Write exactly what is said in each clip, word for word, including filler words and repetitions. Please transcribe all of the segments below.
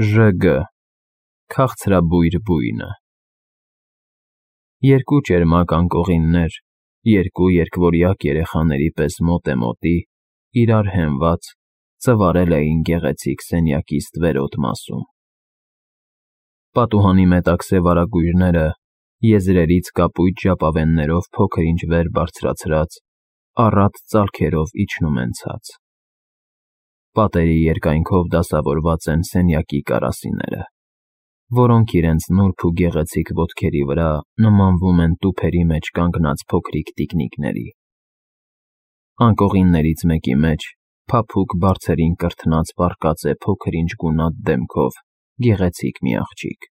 Ժ Գ Քաղցրաբույր բույնը Երկու ճերմակ անկողիններ, երկու երկվորյակ երեխաների պես մոտեմոտի, իրար հենված, ծվարել էին գեղեցիկ սենյակի ստվերոտ մասում. Պատուհանի մետաքսե վարագույրները, եզրերից կապույտ ժապավեններով փոքր-ինչ վեր բարձրացրած, առատ ծալքերով իջնում են ցած. Պատերի երկայնքով դասավորված են սենյակի կարասիները, որոնք իրենց նուրբ ու գեղեցիկ ոտքերի վրա նմանվում են տուփերի մեջ կանգնած փոքրիկ տիկնիկների. Անկողիններից մեկի մեջ փափուկ բարձերին կրթնած պառկած է փոքր-ինչ գունատ դեմքով գեղեցիկ մի աղջիկ.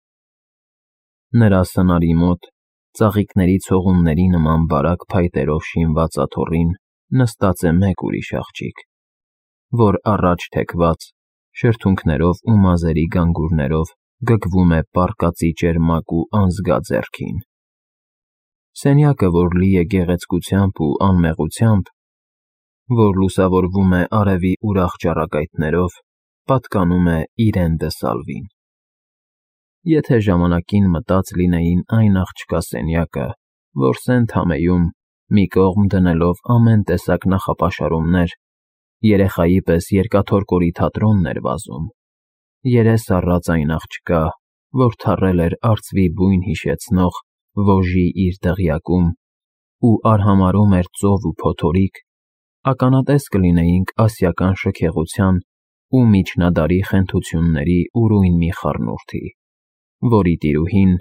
Նրա սնարի մոտ, ծաղիկների ցողունների նման բարակ փայտերով շինված աթոռին նստած է մեկ ուրիշ աղջիկ, որ առաջ թեքված, շրթունքներով ու մազերի գանգուրներով գգվում է պառկածի ճերմակ ու անզգա ձեռքին. Սենյակը, որ լի է գեղեցկությամբ ու անմեղությամբ, որ լուսավորվում է արևի ուրախ ճառագայթներով, պատկանում է Իրեն դը Սալվին. Եթե ժամանակին մտած լինեին այն աղջկա սենյակը, որ Սենթ-Համեում, մի կողմ դնելով ամեն տեսակ նախապաշարումներ, երեխայի պես երկաթոր կորի թատրոնն էր վազում, երես առած այն աղջկա, որ թռել էր արծվի բույն հիշեցնող Վոժի իր դղյակում ու արհամարհում էր ծով ու փոթորիկ, ականատես կլինեինք ասիական շքեղության ու միջնադարի խենթությունների ուրույն մի խառնուրդի, որի տիրուհին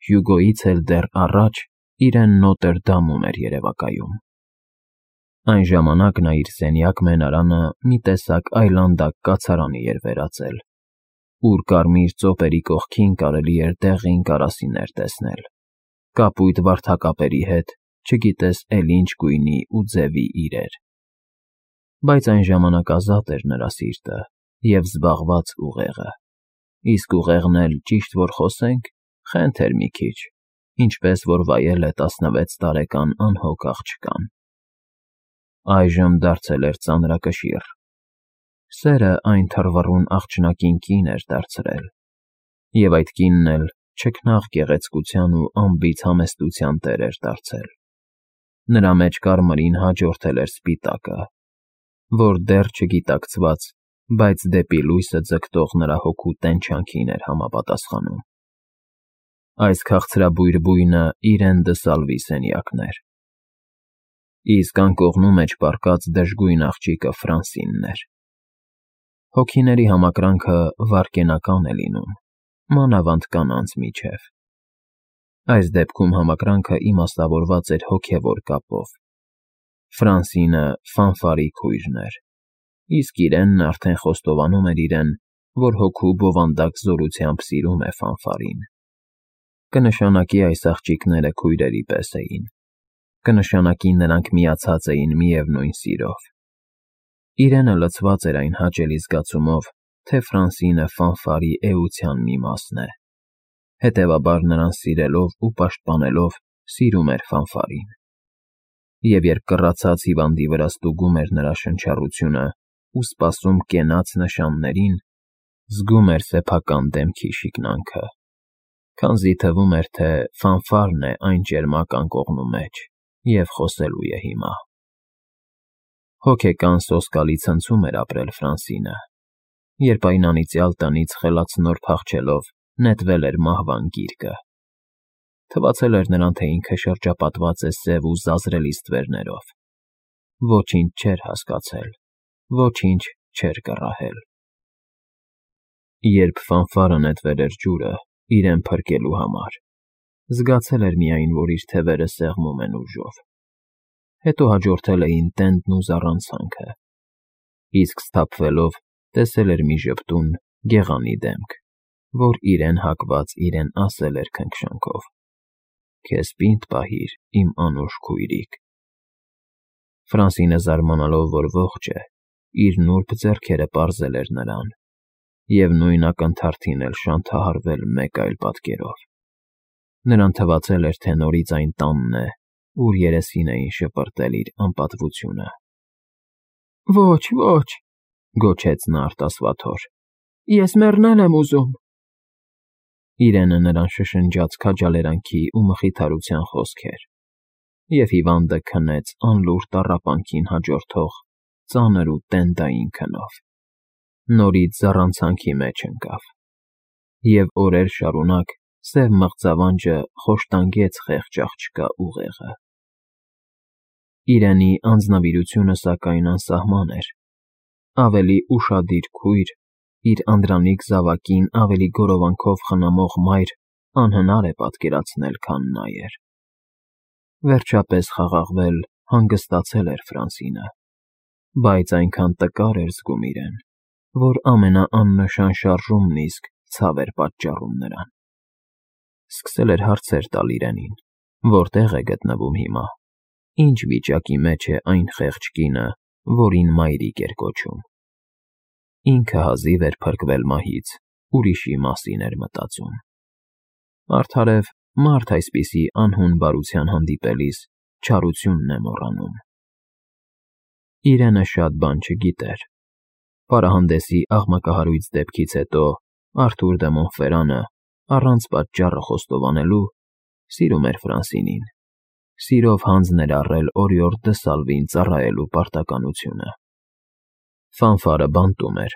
Հյուգոյից էլ դեռ առաջ իրեն Նոտրը Դամում էր երևակայում. Այն ժամանակ նա իր սենյակ֊մենարանը մի տեսակ այլանդակ կացարանի էր վերածել, ուր կարմիր ծոպերի կողքին կարելի էր դեղին կարասիներ տեսնել, կապույտ վարդակապերի հետ, չգիտես էլ ինչ գույնի ու ձևի իրեր. Բայց այն ժամանակ ազատ էր նրա սիրտը և զբաղված ուղեղը, իսկ ուղեղն էլ, ճիշտ որ խոսենք, խենթ էր մի քիչ, ինչպես որ վայել է տասնվեց տարեկան անհոգ աղջկան. Այժմ դարձել էր ծանրակշիռ, սերը այն թռվռուն աղջնակին կին էր դարձրել, և այդ կինն էլ չքնաղ գեղեցկության ու անբիծ համեստության տեր էր դարձել. նրա մեջ կարմիրին հաջորդել էր սպիտակը, որ դեռ չգիտակցված, բայց դեպի լույսը ձգտող նրա հոգու տենչանքին էր համապատասխանում. Այս քաղցրաբույր բույնը Իրեն դը Սալվի սենյակն էր, իսկ անկողնու մեջ պառկած դժգույն աղջիկը Ֆրանսինն էր. Հոգիների համակրանքը վայրկենական է լինում, մանավանդ կանանց միջև. Այս դեպքում համակրանքը իմաստավորված էր հոգևոր կապով. Ֆրանսինը Ֆանֆարի քույրն էր, իսկ Իրենն արդեն խոստովանում էր իրեն, որ հոգու բովանդակ զորությամբ սիրում է Ֆանֆարին. Կնշանակի այս աղջիկները քույրերի պես էին, կնշանակի նրանք միացած էին միևնույն սիրով. Իրենը լցված էր այն հաճելի զգացումով, թե Ֆրանսինը Ֆանֆարի էության մի մասն է, հետևաբար նրան սիրելով ու պաշտպանելով սիրում էր Ֆանֆարին, և երբ կռացած հիվանդի վրա ստուգում էր նրա շնչառությունը ու սպասում կենաց նշաններին, զգում էր սեփական դեմքի շիկնանքը, քանզի թվում էր, թե Ֆանֆարն է այն ճերմակ անկողնու մեջ և խոսելու է հիմա. Հոգեկան սոսկալի ցնցում էր ապրել Ֆրանսինը, երբ այն անիծյալ տնից խելացնոր փախչելով նետվել էր մահվան գիրկը. թվացել էր նրան, թե ինքը շրջապատված է սև ու զազրելի ստվերներով, ոչինչ չէր հասկացել, ոչինչ չէր կռահել. Երբ Ֆանֆարը նետվել էր ջուրը իրեն փրկելու համար, զգացել էր միայն, որ իր թևերը սեղմում են ուժով, հետո հաջորդել էին տենդն ու զառանցանքը, իսկ սթափվելով տեսել էր մի ժպտուն, գեղանի դեմք, որ իրեն հակված իրեն ասել էր քնքշանքով. «Քեզ պինդ պահիր, իմ անուշ քույրիկ»։ Ֆրանսինը զարմանալով, որ ողջ է, իր նուրբ ձեռքերը պարզել էր նրան, և նույն ակնթարթին էլ շանթահարվել մեկ այլ պատկերով. նրան թվացել էր, թե նորից այն տանն է, ուր երեսին էին շպրտել իր անպատվությունը։ «Ոչ, ոչ», գոչեց նա արտասվաթոր, Ես մեռնել եմ ուզում։ Իրենը նրան շշնջաց քաջալերանքի ու մխիթարության խոսքեր, և հիվանդը քնեց անլուռ տառապանքին հաջորդող ծանր ու տենդային քնով, նորից զառանցանքի մեջ ընկավ, և օրեր շարունակ սև մղձավանջը խոշտանգեց խեղճ աղջկա ուղեղը։ Իրենի անձնվիրությունը, սակայն, անսահման էր, ավելի ուշադիր քույր, իր անդրանիկ զավակին ավելի գորովանքով խնամող մայր անհնար է պատկերացնել, քան նա էր։ Վերջապես խաղաղվել, հանգստացել էր Ֆրանսինը, բայց այնքան տկար էր զգում իրեն, որ ամենաաննշան շարժումն իսկ ցավ էր պատճառում նրան։ Սկսել էր հարցեր տալ իրենին. որտե՞ղ է գտնվում հիմա, ինչ վիճակի մեջ է այն խեղճ կինը, որին մայրիկ էր կոչում։ Ինքը հազիվ էր փրկվել մահից, ուրիշի մասին էր մտածում։ Արդարև, մարդ այսպիսի անհուն բարության հանդիպելիս չարությունն է մոռանում։ Իրենը շատ բան չգիտեր։ Պարահանդեսի աղմկահարույց դեպքից հետո Արթուր դը Մոնֆերանը, առանց պատճառը խոստովանելու, սիրում էր Ֆրանսինին, սիրով հանձն էր առել օրիորդ դը Սալվին ծառայելու պարտականությունը։ Ֆանֆարը բանտում էր,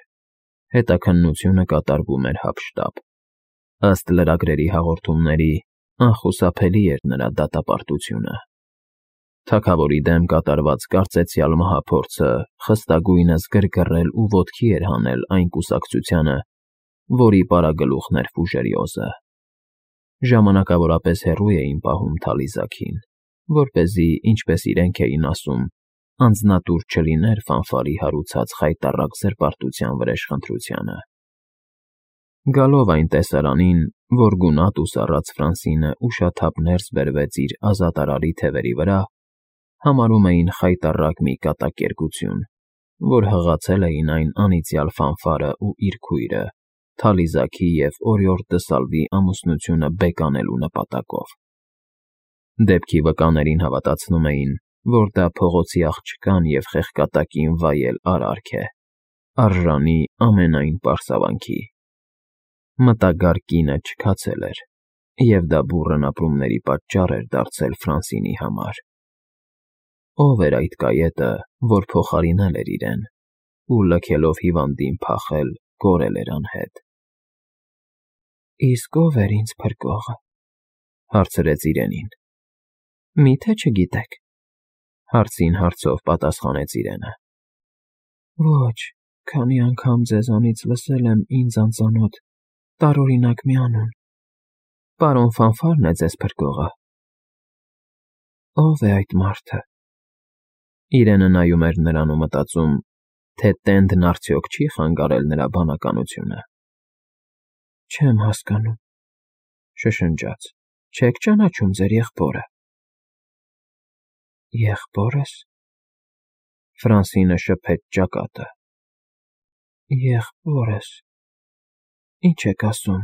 հետաքննությունը կատարվում էր հափշտապ։ Ըստ լրագրերի հաղորդումների, անխուսափելի էր նրա դատապարտությունը։ Թագավորի դեմ կատարված կարծեցյալ մահափորձը խստագույնս գրգռել ու ոտքի էր հանել այն կուսակցությանը, որի պարագլուխն էր Ֆուժերիոզը։ Ժամանակավորապես հեռու էին պահում Թալիզաքին, որպեսզի, ինչպես իրենք էին ասում, անձնատուր չլիներ Ֆանֆարի հարուցած խայտառակ զրպարտության վրեժխնդրությանը։ Գալով այն տեսարանին, որ գունատ ու սառած Ֆրանսինը ուշաթափ ներս բերվեց իր ազատարարի թևերի վրա, համարում էին խայտառակ մի կատակերգություն, որ հղացել էին այն անիծյալ Ֆանֆարը ու իր քույրը, Թալիզաքի և օրիորդ դը Սալվի ամուսնությունը բեկանելու նպատակով։ Դեպքի վկաներին հավատացնում էին, որ դա փողոցի աղջկան և խեղկատակին վայել արարք է, արժանի ամենայն պարսավանքի։ Մտագար կինը չքացել էր, և դա բուռն ապրումների պատճառ էր դարձել Ֆրանսինի համար։ Ո՞վ էր այդ կայետը, որ փոխարինել էր իրեն ու, լքելով հիվանդին փախել, կորել էր անհետ։ Իսկ ո՞վ էր ինձ փրկողը, հարցրեց իրենին։ Մի՞թե չգիտեք, հարցին հարցով պատասխանեց իրենը։ Ոչ, քանի անգամ ձեզանից լսել եմ ինձ անծանոթ, տարօրինակ մի անուն։ Պարոն Ֆանֆարն է ձեզ փրկողը։ Ո՞վ է այդ մարդը։ Իրենը նայում էր նրան ու մտածում, թե տենդն արդյոք չի խանգարել նրա բանականությունը։ Չեմ հասկանում, շշնջաց, չեք ճանաչում ձեր եղբորը։ Եղբորս։ Ֆրանսինը շփեց ճակատը։ Եղբորս։ Ինչ եք ասում։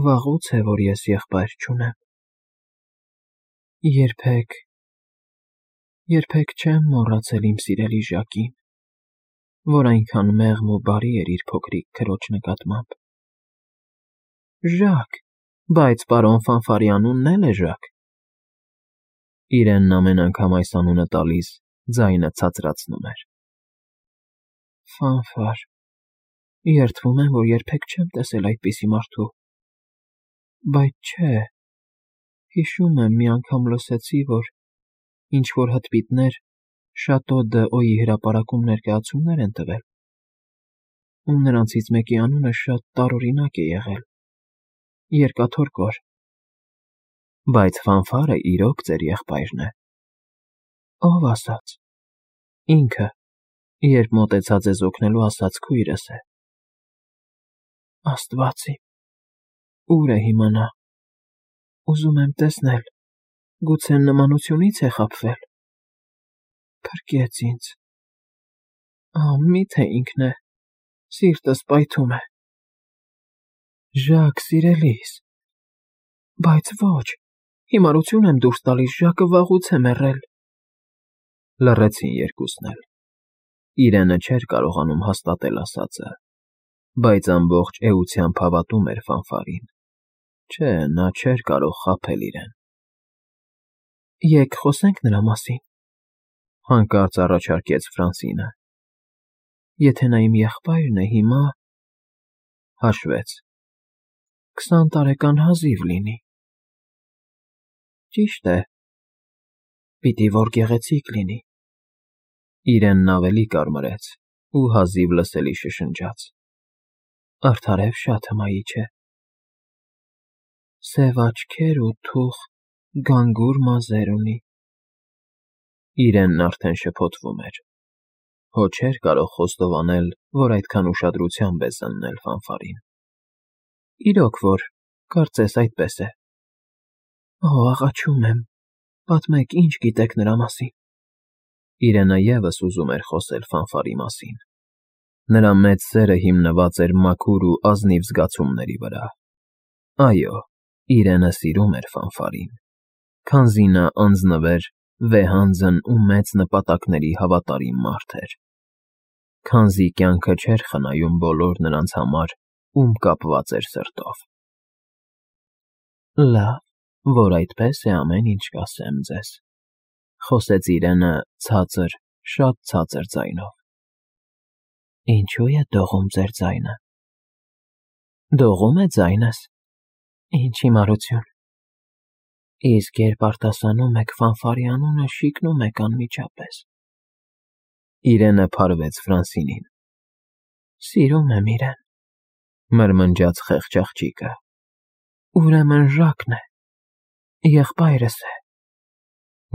Վաղուց է, որ ես եղբայր չունեմ։ Երբեք, երբեք չեմ մոռացել իմ սիրելի Ժակին, որ այնքան մեղմ ու բարի էր իր փոքրիկ քրոջ նկատմամբ։ Ժակ, բայց պարոն Ֆանֆարի անունն էլ է Ժակ։ Իրենն ամեն անգամ այս անունը տալիս ձայնը ցածրացնում էր։ Ֆանֆար, երդվում եմ, որ երբեք չեմ տեսել այդպիսի մարդու։ Բայց չէ, հիշում եմ, մի անգամ լսեցի, որ ինչ-որ հտպիտներ Շատո դ'Օյի հրապարակում ներկայացումներ են տվել, ու նրանցից մեկի անունը շատ տարօրինակ է եղել. Երկաթորկոր։ Բայց Ֆանֆարը իրոք ձեր եղբայրն է։ Ո՞վ ասաց։ Ինքը, երբ մոտեցա ձեզ օգնելու ասաց քույրս է։ Աստված իմ, ուր է հիմա նա։ Ուզում եմ տեսնել, գուցե նմանությունից է խաբվել։ Փրկեց ինձ։ Ահ, միթե ինքն է, սիրտս պայթում է։ Ժակ, սիրելիս։ Բայց ոչ, հիմարություն եմ դուրս տալիս, Ժակը վաղուց է մեռել։ Լռեցին երկուսն էլ։ Իրենը չէր կարողանում հաստատել ասածը։ բայց ամբողջ էությամբ հավատում էր ֆանֆարին։ Չէ, նա չէր կարող խաբել իրեն։ Եկ խոսե՞նք նրա մասին, հանկարծ առաջարկեց Ֆրանսինը։ Եթե նա իմ եղբայրն է հիմա… Հաշվեց. քսան տարեկան հազիվ լինի։ Ճիշտ է, պիտի որ գեղեցիկ լինի։ Իրենն ավելի կարմրեց ու հազիվ լսելի շշնջաց. Արդարև շատ հմայիչ է։ Սև աչքեր ու թուխ գանգուր մազեր ունի։ Իրենն արդեն շփոթվում էր։ Հո չէր կարող խոստովանել, որ այդքան ուշադրությամբ է զննել ֆանֆարին։ Իրոք որ, կարծես այդպես է։ Օ, աղաչում եմ, պատմեք, ինչ գիտեք նրա մասին։ Իրենը ևս ուզում էր խոսել ֆանֆարի մասին։ Նրա մեծ սերը հիմնված էր մաքուր ու ազնիվ զգացումների վրա։ Այո, Իրենը սիրում էր ֆանֆարին, քանզի նա անձնվեր, վեհանձն ու մեծ նպատակների հավատարիմ մարդ էր։ Քանզի կյանքը չէր խնայում բոլոր նրանց համար, ում կապված էր սրտով։ Լավ, որ այդպես է, ամեն ինչ կասեմ ձեզ, խոսեց Իրենը ցածր, շատ ցածր ձայնով։ Ինչո՞ւ է դողում ձեր ձայնը։ Դողում է ձայնս։ Ինչ հիմարություն։ Իսկ երբ արտասանում եք ֆանֆարի անունը, շիկնում եք անմիջապես։ Իրենը փարվեց Ֆրանսինին։ Սիրում եմ իրեն, մրմնջաց խեղճ աղջիկը։ Ուրեմն Ժակն է, եղբայրս է,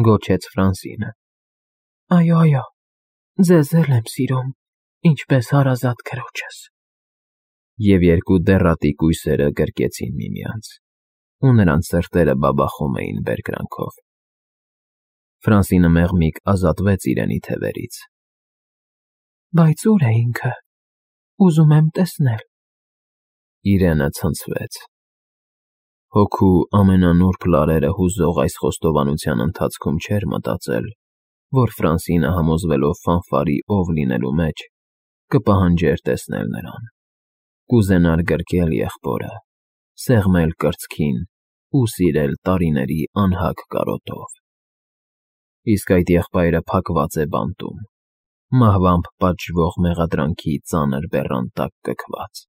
գոչեց Ֆրանսինը։ Այո, այո, ձեզ էլ եմ սիրում, ինչպես հարազատ քրոջս։ Եվ երկու դեռատի կույսերը գրկեցին միմյանց, ու նրանց սրտերը բաբախում էին բերկրանքով։ Ֆրանսինը մեղմիկ ազատվեց Իրենի թևերից։ Բայց ուր է ինքը, ուզում եմ տեսնել։ Իրենը ցնցվեց։ Հոգու ամենանուրբ լարերը հուզող այս խոստովանության ընթացքում չէր մտածել, որ Ֆրանսինը համոզվելով ֆանֆարի ով լինելու մեջ, կպահանջեր տեսնել նրան, կուզենար գրկել եղբորը, սեղմել կրծքին ու սիրել տարիների անհագ կարոտով։ Իսկ այդ եղբայրը փակված է բանտում, մահվամբ պատժվող մեղադրանքի ծանր բեռան տակ կքված։